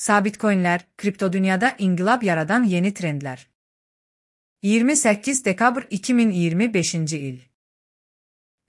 Sabit coinlər, kripto dünyada inqilab yaradan yeni trendlər. 28 dekabr 2025-ci il.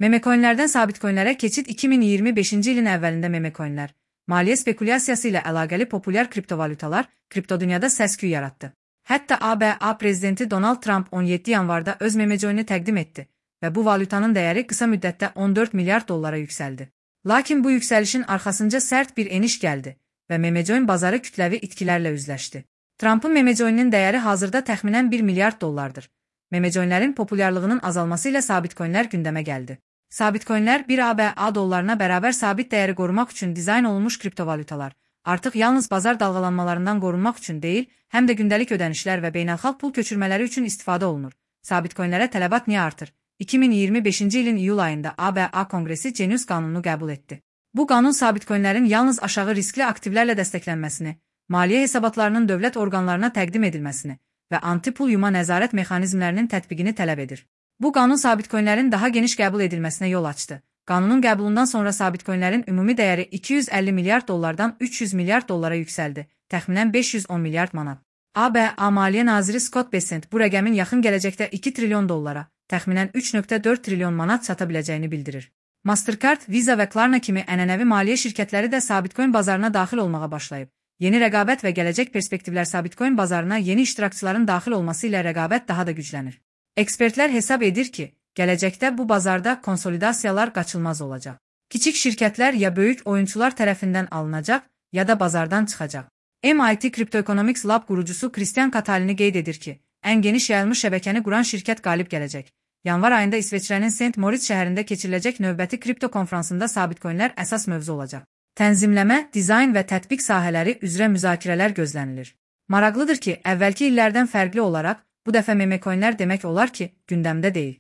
Memecoinlərdən sabit coinlərə keçid 2025-ci ilin əvvəlində memecoinlər, maliyyə spekulyasiyası ilə əlaqəli populyar kriptovalyutalar kripto dünyada səs-küy yaratdı. Hətta ABA prezidenti Donald Trump 17 yanvarda öz memecoinini təqdim etdi və bu valyutanın dəyəri qısa müddətdə 14 milyard dollara yüksəldi. Lakin bu yüksəlişin arxasınca sərt bir eniş gəldi və memecoin bazarı kütləvi itkilərlə üzləşdi. Trump'ın memecoininin dəyəri hazırda təxminən 1 milyard dollardır. Memecoinlərin populyarlığının azalması ilə sabit coinlər gündəmə gəldi. Sabit coinlər 1 ABA dollarına bərabər sabit dəyəri qorumaq üçün dizayn olunmuş kriptovalyutalar, artıq yalnız bazar dalğalanmalarından qorunmaq üçün deyil, həm də gündəlik ödənişlər və beynəlxalq pul köçürmələri üçün istifadə olunur. Sabit coinlərə tələbat niyə artır? 2025-ci ilin iyul ayında ABA Konqresi Genius qanununu qəbul etdi. Bu qanun sabit coinlərin yalnız aşağı riskli aktivlərlə dəstəklənməsini, maliyyə hesabatlarının dövlət orqanlarına təqdim edilməsini və anti-pul yuma nəzarət mexanizmlərinin tətbiqini tələb edir. Bu qanun sabit coinlərin daha geniş qəbul edilməsinə yol açdı. Qanunun qəbulundan sonra sabit coinlərin ümumi dəyəri 250 milyard dollardan 300 milyard dollara yüksəldi, təxminən 510 milyard manat. ABA Maliyyə Naziri Scott Bessent bu rəqəmin yaxın gələcəkdə 2 trilyon dollara, təxminən 3,4 trilyon manat çata biləcəyini bildirir. Mastercard, Visa və Klarna kimi ənənəvi maliyyə şirkətləri də sabit coin bazarına daxil olmağa başlayıb. Yeni rəqabət və gələcək perspektivlər sabit coin bazarına yeni iştirakçıların daxil olması ilə rəqabət daha da güclənir. Ekspertlər hesab edir ki, gələcəkdə bu bazarda konsolidasiyalar qaçılmaz olacaq. Kiçik şirkətlər ya böyük oyunçular tərəfindən alınacaq, ya da bazardan çıxacaq. MIT Cryptoeconomics Lab qurucusu Christian Catalini qeyd edir ki, ən geniş yayılmış şəbəkəni quran şirkət qalib gələcək. Yanvar ayında İsveçrənin St. Moritz şəhərində keçiriləcək növbəti kripto konfransında sabit coinlər əsas mövzu olacaq. Tənzimləmə, dizayn və tətbiq sahələri üzrə müzakirələr gözlənilir. Maraqlıdır ki, əvvəlki illərdən fərqli olaraq, bu dəfə memecoinlər demək olar ki, gündəmdə deyil.